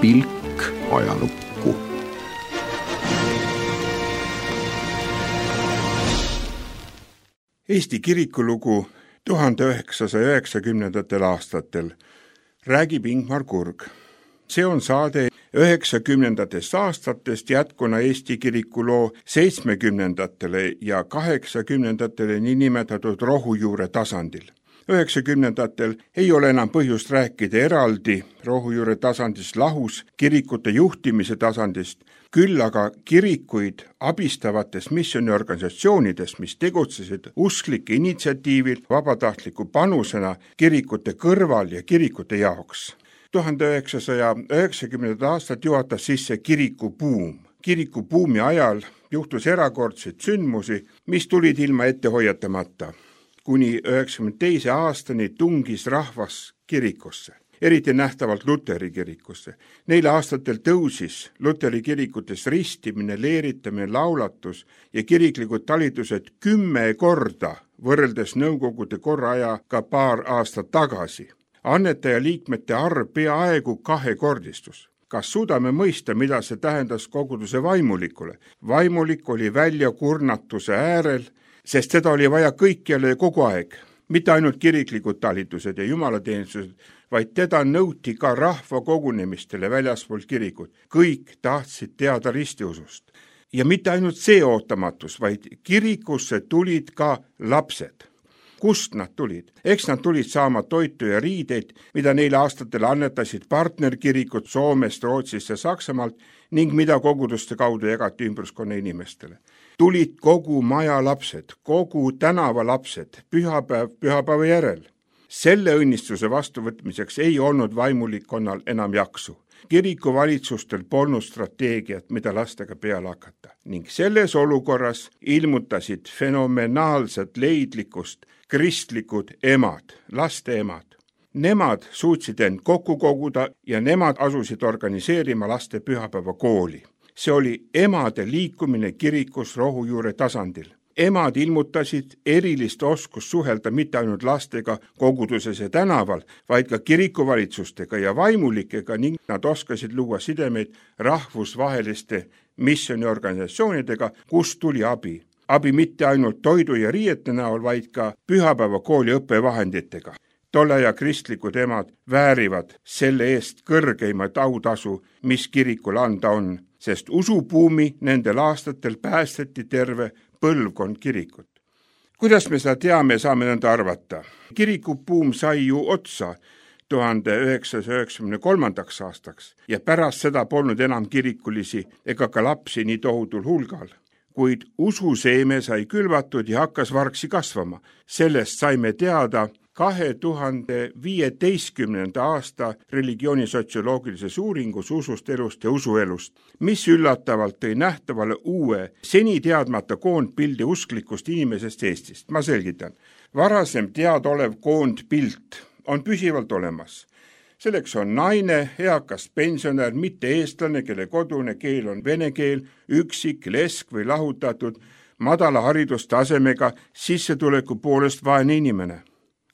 pilk ajalukku. Eesti kirikulugu 1990. aastatel räägib Ingmar Kurg. See on saade 90. aastatest jätkuna Eesti kirikuloo 70. ja 80. niinimetatud rohujuure tasandil. 90. ei ole enam põhjust rääkida eraldi rohujuure tasandist lahus kirikute juhtimise tasandist, küll aga kirikuid abistavates missiooniorganisatsioonides, mis tegutsesid usklike initsiatiivil vabatahtliku panusena kirikute kõrval ja kirikute jaoks. 1990. aastat juhatas sisse kirikubuum. Kirikubuumi ajal juhtus erakordseid sündmusi, mis tulid ilma ette hoiatamata. Kuni 92. aastani tungis rahvas kirikusse, eriti nähtavalt Luteri kirikusse. Neil aastatel tõusis Luteri kirikutes ristimine, leeritamine, laulatus ja kiriklikud talitused 10 korda võrreldes Nõukogude korraajaga paar aastat tagasi. Annetaja liikmete arv peaaegu 2-kordistus. Kas suudame mõista, mida see tähendas koguduse vaimulikule? Vaimulik oli väljakurnatuse äärel, sest seda oli vaja kõikjale ja kogu aeg. Mitte ainult kiriklikud talitused ja jumalateenistused, vaid teda nõuti ka rahva kogunemistele väljaspool kirikut. Kõik tahtsid teada ristiusust. Ja mitte ainult see ootamatus, vaid kirikusse tulid ka lapsed. Kust nad tulid? Eks nad tulid saama toitu ja riideid, mida neile aastatel annetasid partnerkirikud Soomest, Rootsist ja Saksamaalt ning mida koguduste kaudu jagati ümbruskonna inimestele. Tulid kogu maja lapsed, kogu tänava lapsed, pühapäeva järel. Selle õnnistuse vastuvõtmiseks ei olnud vaimulikkonnal enam jaksu. Kirikuvalitsustel polnud strateegiat, mida lastega peale hakata. Ning selles olukorras ilmutasid fenomenaalset leidlikkust kristlikud emad, laste emad. Nemad suutsid end kokku koguda ja nemad asusid organiseerima laste pühapäevakooli. See oli emade liikumine kirikus rohujuure tasandil. Emad ilmutasid erilist oskust suhelda mitte ainult lastega koguduses ja tänaval, vaid ka kirikuvalitsustega ja vaimulikega ning nad oskasid luua sidemeid rahvusvaheliste missiooniorganisatsioonidega, kust tuli abi. Abi mitte ainult toidu ja riiete näol, vaid ka pühapäevakooli õppevahenditega. Tolle ja kristlikud emad väärivad selle eest kõrgeimat autasu, mis kirikul anda on, sest usubuumi nendel aastatel päästeti terve põlvkond kirikut. Kuidas me seda teame, saame nõnda arvata? Kirikubuum sai ju otsa 1993. aastaks ja pärast seda polnud enam kirikulisi ega ka lapsi nii tohutul hulgal. Kuid ususeeme sai külvatud ja hakkas vargsi kasvama. Sellest saime teada 2015. aasta religioonisotsioloogilises uuringus usust, elust ja usuelust, mis üllatavalt tõi nähtavale uue, seni teadmata koondpildi usklikust inimesest Eestist. Ma selgitan. Varasem teadolev koondpilt on püsivalt olemas. Selleks on naine, eakas pensionär, mitte eestlane, kelle kodune keel on vene keel, üksik, lesk või lahutatud, madala haridustasemega, sissetuleku poolest vaene inimene.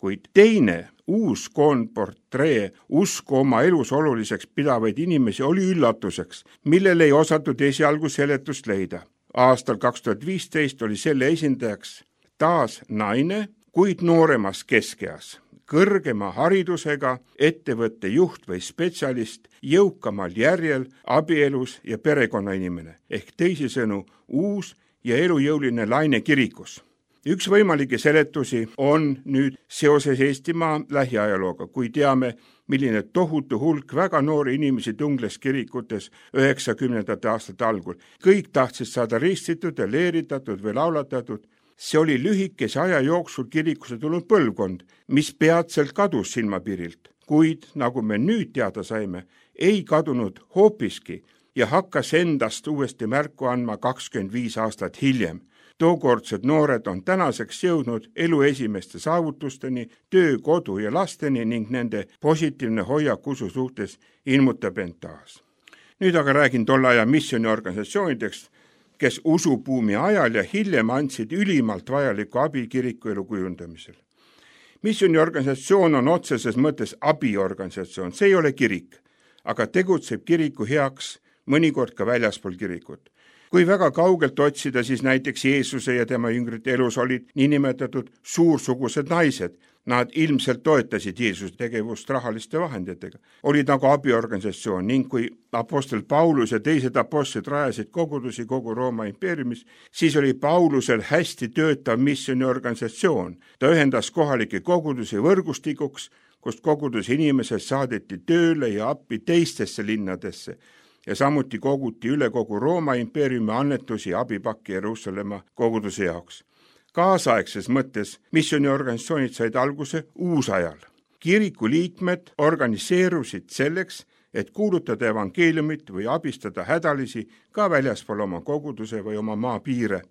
Kuid teine, uus koondportree usku oma elus oluliseks pidavaid inimesi oli üllatuseks, millele ei osatud esialgu seletust leida. Aastal 2015 oli selle esindajaks taas naine, kuid nooremas keskeas. Kõrgema haridusega ettevõtte juht või spetsialist, jõukamal järjel, abielus ja perekonnainimene, ehk teisisõnu uus ja elujõuline laine kirikus. Üks võimalikke seletusi on nüüd seoses Eestimaa lähiajalooga, kui teame, milline tohutu hulk väga noori inimesi tungles kirikutes 90. aastate algul. Kõik tahtsid saada ristitud ja leeritatud või laulatatud. See oli lühikese aja jooksul kirikusse tulnud põlvkond, mis peatselt kadus silmapiirilt, kuid nagu me nüüd teada saime, ei kadunud hoopiski ja hakkas endast uuesti märku andma 25 aastat hiljem. Tookordsed noored on tänaseks jõudnud elu esimeste saavutusteni, töö, kodu ja lasteni ning nende positiivne hoiak usu suhtes ilmutab end taas. Nüüd aga räägin tolle aja missiooniorganisatsioonideks, kes usubuumi ajal ja hiljem andsid ülimalt vajalikku abi kirikuelu kujundamisel. Missiooniorganisatsioon on otseses mõttes abiorganisatsioon, see ei ole kirik. aga tegutseb kiriku heaks mõnikord ka väljaspool kirikut. Kui väga kaugelt otsida, siis näiteks Jeesuse ja tema jüngrite elus olid niinimetatud suursugused naised. Nad ilmselt toetasid Jeesuse tegevust rahaliste vahenditega. Olid nagu abiorganisatsioon ning kui apostel Paulus ja teised apostlid rajasid kogudusi kogu Rooma impeeriumis, siis oli Paulusel hästi töötav missioniorganisatsioon. Ta ühendas kohalikke kogudusi võrgustikuks, kust koguduse inimesed saadeti tööle ja appi teistesse linnadesse. Ja samuti koguti üle kogu Rooma impeeriumi annetusi ja abipakke Jeruusalemma koguduse jaoks. Kaasaegses mõttes missioniorganisatsioonid said alguse uusajal. Kiriku liikmed organiseerusid selleks, et kuulutada evangeeliumit või abistada hädalisi ka väljaspool oma koguduse või oma maapiire.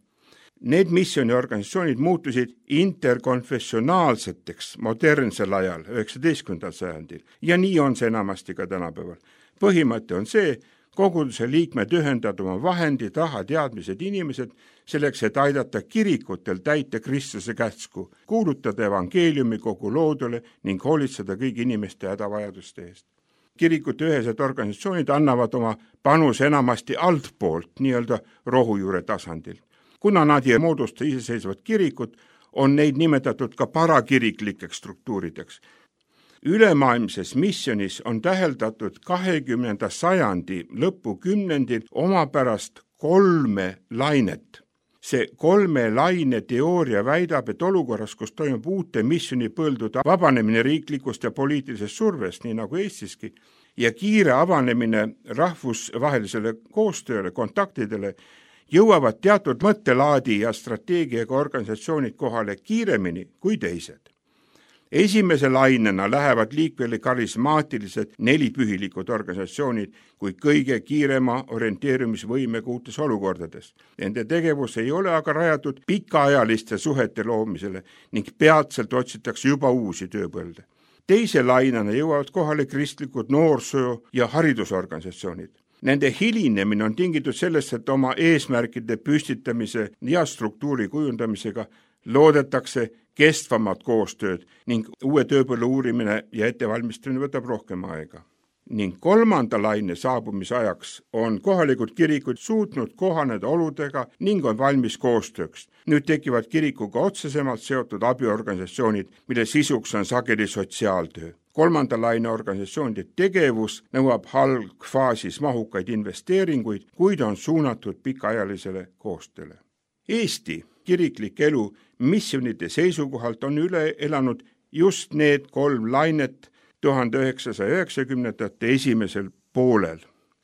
Need missioniorganisatsioonid muutusid interkonfessionaalseteks modernsel ajal, 19. sajandil, ja nii on see enamasti ka tänapäeval. Põhimõte on see, koguduse liikmed ühendavad oma vahendid, raha, teadmised, inimesed selleks, et aidata kirikutel täita Kristuse käsku, kuulutada evangeeliumi kogu loodule ning hoolitseda kõigi inimeste hädavajaduste eest. Kirikute ühesed organisatsioonid annavad oma panuse enamasti altpoolt, nii-öelda rohujuure tasandil. Kuna nad ei moodusta iseseisvat kirikut, on neid nimetatud ka parakiriklikeks struktuurideks. Ülemaailmses missionis on täheldatud 20. sajandi lõpukümnendil omapärast 3 lainet. See 3 laine teooria väidab, et olukorras, kus toimub uute missionipõldude vabanemine riiklikust ja poliitilisest survest, nii nagu Eestiski, ja kiire avanemine rahvusvahelisele koostööle, kontaktidele, jõuavad teatud mõttelaadi ja strateegiaga organisatsioonid kohale kiiremini kui teised. Esimese lainena lähevad liikvele karismaatilised 4 pühilikud organisatsioonid kui kõige kiirema orienteerumisvõimega uutes olukordades. Nende tegevus ei ole aga rajatud pikaajaliste suhete loomisele ning peatselt otsitakse juba uusi tööpõlde. Teise lainena jõuavad kohale kristlikud noorsoo- ja haridusorganisatsioonid. Nende hilinemine on tingitud sellest, et oma eesmärkide püstitamise ja struktuuri kujundamisega loodetakse kestvamat koostööd ning uue tööpõllu uurimine ja ettevalmistamine võtab rohkem aega. Ning 3. laine saabumise ajaks on kohalikud kirikud suutnud kohaneda oludega ning on valmis koostööks. Nüüd tekivad kirikuga otsesemalt seotud abiorganisatsioonid, mille sisuks on sageli sotsiaaltöö. 3. laine organisatsioonide tegevus nõuab algfaasis mahukaid investeeringuid, kuid on suunatud pikaajalisele koostööle. Eesti kiriklik elu missionide seisukohalt on üle elanud just need 3 lainet 1990. esimesel poolel.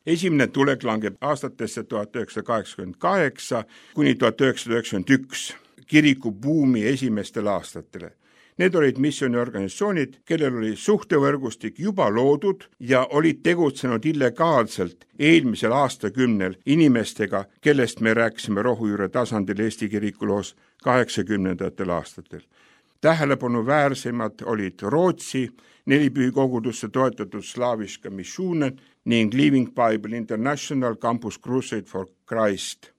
Esimene tulek langeb aastatesse 1988 kuni 1991 kirikubuumi esimestel aastatele. Need olid missioniorganisatsioonid, kellel oli suhtevõrgustik juba loodud ja olid tegutsenud illegaalselt eelmisel aastakümnel inimestega, kellest me rääkisime rohujuure tasandil Eesti kirikuloos 80. aastatel. Tähelepanu väärsemad olid Rootsi 4 pühikogudusse toetatud Slaviska Missionen ning Living Bible International Campus Crusade for Christ.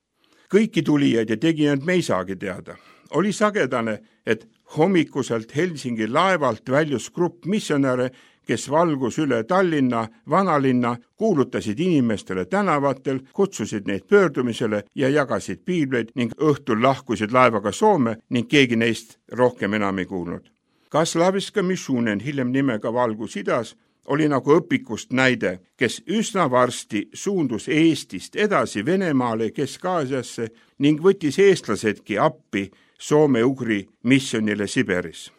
Kõiki tulijaid ja tegijaid me ei saagi teada. Oli sagedane, et hommikuselt Helsingi laevalt väljus grupp missionäre, kes valgus üle Tallinna, vanalinna, kuulutasid inimestele tänavatel, kutsusid neid pöördumisele ja jagasid piibleid ning õhtul lahkusid laevaga Soome ning keegi neist rohkem enam ei kuulnud. Ka Slaviska Missionen, hiljem nimega Valgus idas, oli nagu õpikust näide, kes üsna varsti suundus Eestist edasi Venemaale, Kesk-Aasiasse ning võttis eestlasedki appi soome-ugri missionile Siberis.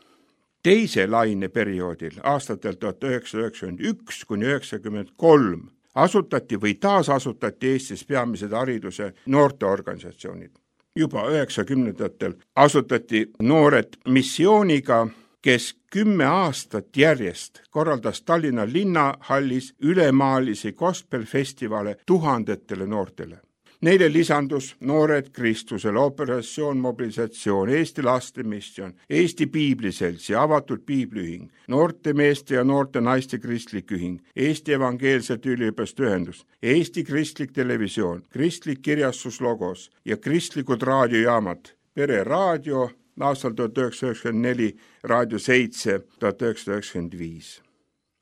Teise laine perioodil, aastatel 1991 kuni 1993, asutati või taasasutati Eestis peamised hariduse noorteorganisatsioonid. Juba 90-ndatel asutati Noored missiooniga, kes 10 aastat järjest korraldas Tallinna linnahallis ülemaalisi gospelfestivale tuhandetele noortele. Neile lisandus Noored Kristusele, Operatsioon Mobilisatsioon, Eesti Laste Missioon, Eesti Piibliselts ja Avatud Piibliühing, Noorte meeste ja noorte naiste kristlik ühing, Eesti Evangeelsete Üliõpilaste Ühendus, Eesti Kristlik Televisioon, Kristlik Kirjastus Logos ja kristlikud raadiojaamad, Pere Raadio aastal 1994, Raadio 7 1995.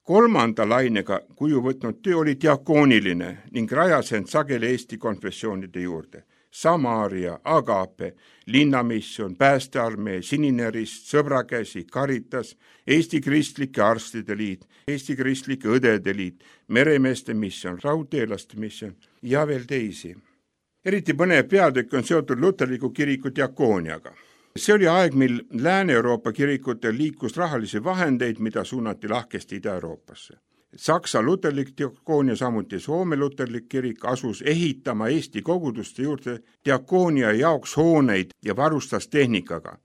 kolmanda lainega kuju võtnud töö oli diakooniline ning rajas end sageli Eesti konfessioonide juurde. Samaaria, Agape, Linnamisjon, Päästearmee, Sinine Rist, Sõbrakäsi, Caritas, Eesti Kristlike Arstide Liit, Eesti Kristlike Õdede Liit, Meremeeste missioon, Raudteelaste missioon ja veel teisi. Eriti põnev peatükk on seotud luterliku kiriku diakooniaga. See oli aeg, mil Lääne-Euroopa kirikutel liikus rahalisi vahendeid, mida suunati lahkesti Ida-Euroopasse. Saksa luterlik diakoonia, samuti Soome luterlik kirik asus ehitama Eesti koguduste juurde diakoonia jaoks hooneid ja varustas tehnikaga.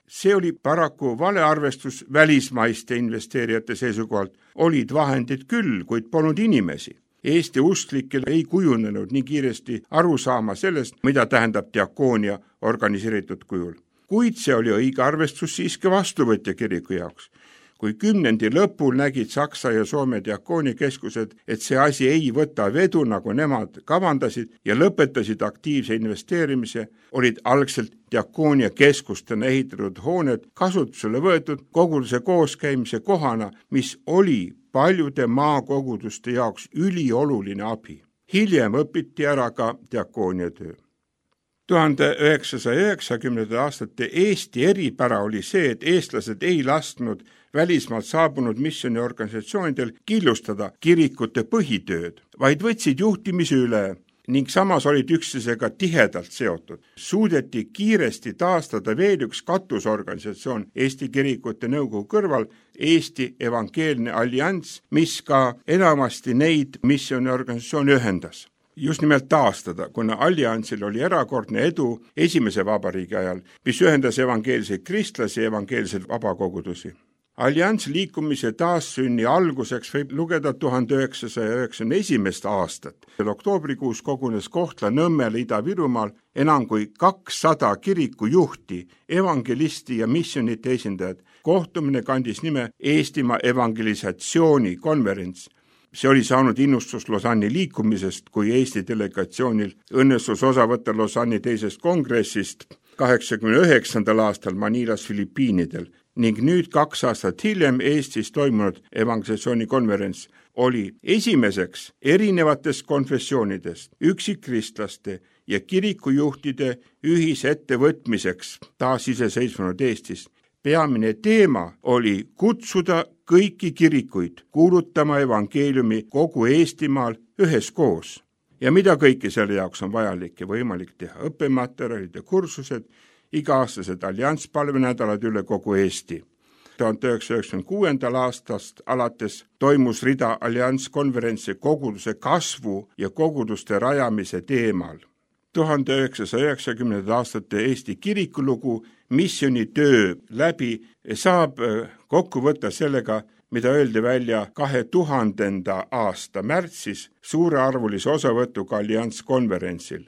See oli paraku valearvestus välismaiste investeerijate seisukohalt. Olid vahendid küll, kuid polnud inimesi. Eesti usklikel ei kujunenud nii kiiresti aru saama sellest, mida tähendab diakoonia organiseeritud kujul. Kuid see oli õige arvestus siiski vastuvõtja kiriku jaoks. Kui 10. lõpul nägid Saksa ja Soome diakoonikeskused, et see asi ei võta vedu, nagu nemad kavandasid ja lõpetasid aktiivse investeerimise, olid algselt diakoonia keskustena ehitatud hooned kasutusele võetud koguduse kooskäimise kohana, mis oli paljude maakoguduste jaoks ülioluline abi. Hiljem õpiti ära ka diakoonia töö. 1990. aastate Eesti eripära oli see, et eestlased ei lasknud välismaalt saabunud missiooniorganisatsioonidel killustada kirikute põhitööd, vaid võtsid juhtimise üle ning samas olid üksteisega tihedalt seotud. Suudeti kiiresti taastada veel üks katusorganisatsioon Eesti Kirikute Nõukogu kõrval, Eesti Evangeelne Allianss, mis ka enamasti neid missiooniorganisatsioone ühendas. Just nimelt taastada, kuna alliansil oli erakordne edu esimese vabariigi ajal, mis ühendas evangeelseid kristlasi ja evangeelseid vabakogudusi. Alliansi liikumise taassünni alguseks võib lugeda 1991. aastat. Oktoobrikuus kogunes Kohtla-Nõmmel Ida-Virumaal enam kui 200 kirikujuhti, evangelisti ja missionite esindajad. Kohtumine kandis nime Eestimaa evangelisatsiooni konverents. See oli saanud innustus Lausanne'i liikumisest, kui Eesti delegatsioonil õnnestus osa võtta Lausanne'i teisest kongressist 89. aastal Manilas Filipiinidel ning nüüd 2 aastat hiljem Eestis toimunud evangelisatsiooni konverents oli esimeseks erinevatest konfessioonidest, üksikkristlaste ja kirikujuhtide ühisettevõtmiseks taasiseseisvunud Eestis. Peamine teema oli kutsuda kõiki kirikuid kuulutama evangeeliumi kogu Eestimaal üheskoos. Ja mida kõike selle jaoks on vajalik ja võimalik teha? Õppematerjalid ja kursused, iga-aastased allianspalvenädalad üle kogu Eesti. 1996. aastast alates toimus rida allianskonverentsi koguduse kasvu ja koguduste rajamise teemal. 1990. aastate Eesti kirikulugu missioonitöö läbi saab kokku võtta sellega, mida öeldi välja 2000. aasta märtsis suurearvulise osavõtuga allianskonverentsil.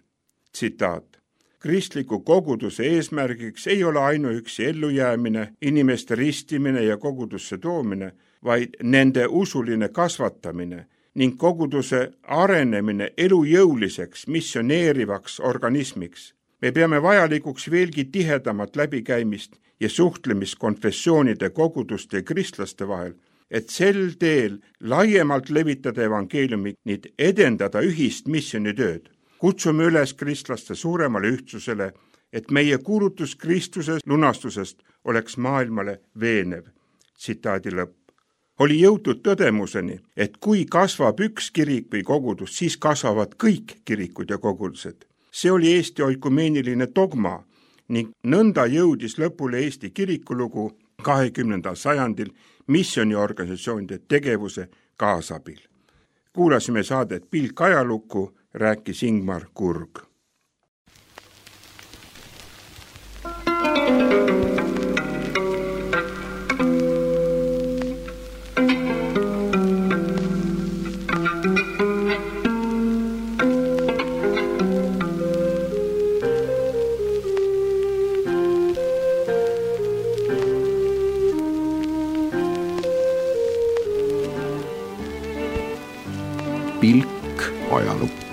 Tsitaat. Kristliku koguduse eesmärgiks ei ole ainuüksi ellujäämine, inimeste ristimine ja kogudusse toomine, vaid nende usuline kasvatamine ning koguduse arenemine elujõuliseks, missioneerivaks organismiks. Me peame vajalikuks veelgi tihedamat läbikäimist ja suhtlemist konfessioonide, koguduste ja kristlaste vahel, et sel teel laiemalt levitada evangeeliumi ning edendada ühist missioonitööd. Kutsume üles kristlaste suuremale ühtsusele, et meie kuulutus Kristuse lunastusest oleks maailmale veenev. Tsitaadi lõpp. Oli jõutud tõdemuseni, et kui kasvab üks kirik või kogudus, siis kasvavad kõik kirikud ja kogudused. See oli Eesti oikumeeniline dogma ning nõnda jõudis lõpule Eesti kirikulugu 20. sajandil missiooniorganisatsioonide tegevuse kaasabil. Kuulasime saadet Pilk ajalukku, rääkis Ingmar Kurg. Pilk ajalukku.